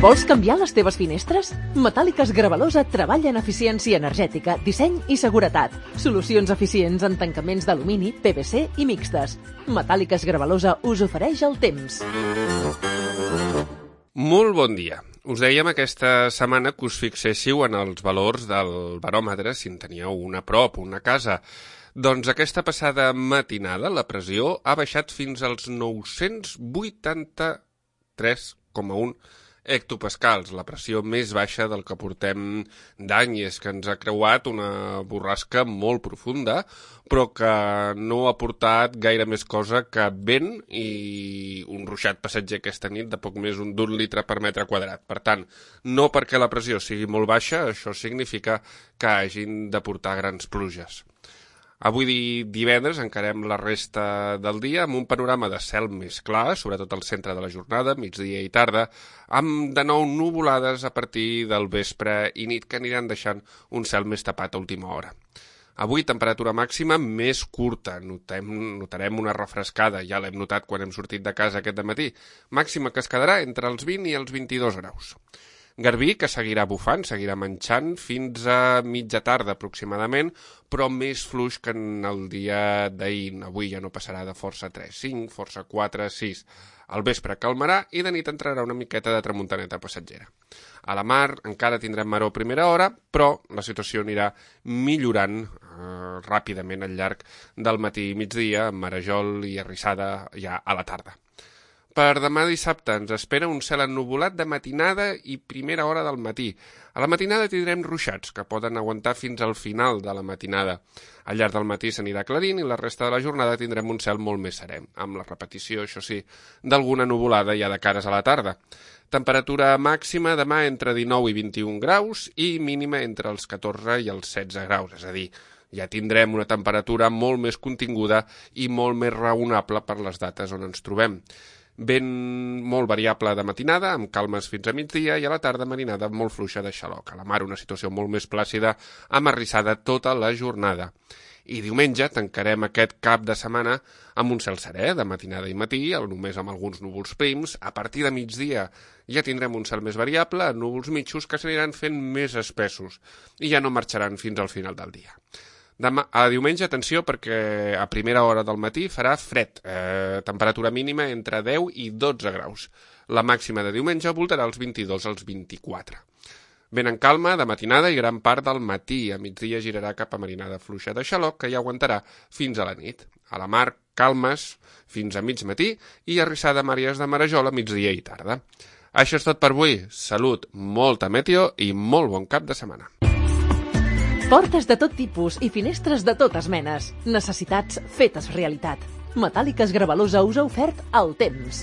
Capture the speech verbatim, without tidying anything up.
Vols canviar les teves finestres? Metàl·liques Gravalosa treballa en eficiència energètica, disseny i seguretat. Solucions eficients en tancaments d'alumini, P V C i mixtes. Metàl·liques Gravalosa us ofereix el temps. Molt bon dia. Us dèiem aquesta setmana que us fixéssiu en els valors del baròmetre si en teníeu una a prop, una a casa. Doncs aquesta passada matinada la pressió ha baixat fins als nou-cents vuitanta-tres coma un hectopascals, la pressió més baixa del que portem d'any, és que ens ha creuat una borrasca molt profunda, però que no ha portat gaire més cosa que vent i un ruixat passatger aquesta nit de poc més d'un litre per metre quadrat. Per tant, no perquè la pressió sigui molt baixa, això significa que hagin de portar grans pluges. Avui divendres encarem la resta del dia amb un panorama de cel més clar, sobretot al centre de la jornada, migdia i tarda, amb de nou nuvolades a partir del vespre i nit que aniran deixant un cel més tapat a última hora. Avui temperatura màxima més curta, notem, notarem una refrescada, ja l'hem notat quan hem sortit de casa aquest dematí, màxima que es quedarà entre els vint i els vint-i-dos graus. Garbí, que seguirà bufant, seguirà manxant fins a mitja tarda aproximadament, però més fluix que en el dia d'ahir. Avui ja no passarà de força tres, cinc, força quatre, sis. Al vespre calmarà i de nit entrarà una miqueta de tramuntaneta passatgera. A la mar encara tindrem maror a primera hora, però la situació anirà millorant eh, ràpidament al llarg del matí i migdia, amb marejol i arrissada ja a la tarda. Per demà dissabte ens espera un cel ennuvolat de matinada i primera hora del matí. A la matinada tindrem ruixats, que poden aguantar fins al final de la matinada. Al llarg del matí s'anirà aclarint i la resta de la jornada tindrem un cel molt més serè, amb la repetició, això sí, d'alguna nuvolada ja de cares a la tarda. Temperatura màxima demà entre dinou i vint-i-un graus i mínima entre els catorze i els setze graus, és a dir, ja tindrem una temperatura molt més continguda i molt més raonable per les dates on ens trobem. Vent molt variable de matinada, amb calmes fins a migdia, i a la tarda marinada molt fluixa de xaloc. A la mar una situació molt més plàcida, amb arrissada tota la jornada. I diumenge tancarem aquest cap de setmana amb un cel serè, de matinada i matí, només amb alguns núvols prims. A partir de migdia ja tindrem un cel més variable, núvols mitjos que s'aniran fent més espessos i ja no marxaran fins al final del dia. Demà, a diumenge, atenció, perquè a primera hora del matí farà fred, eh, temperatura mínima entre deu i dotze graus. La màxima de diumenge voltarà els vint-i-dos als vint-i-quatre. Vent en calma de matinada i gran part del matí. A migdia girarà cap a marinada fluixa de xaloc, que ja aguantarà fins a la nit. A la mar, calmes fins a mig matí i arrissada amb àrees de marejol a migdia i tarda. Això és tot per avui. Salut, molta meteo i molt bon cap de setmana. Portes de tot tipus i finestres de totes menes. Necessitats fetes realitat. Metàl·liques Gravalosa us ha ofert el temps.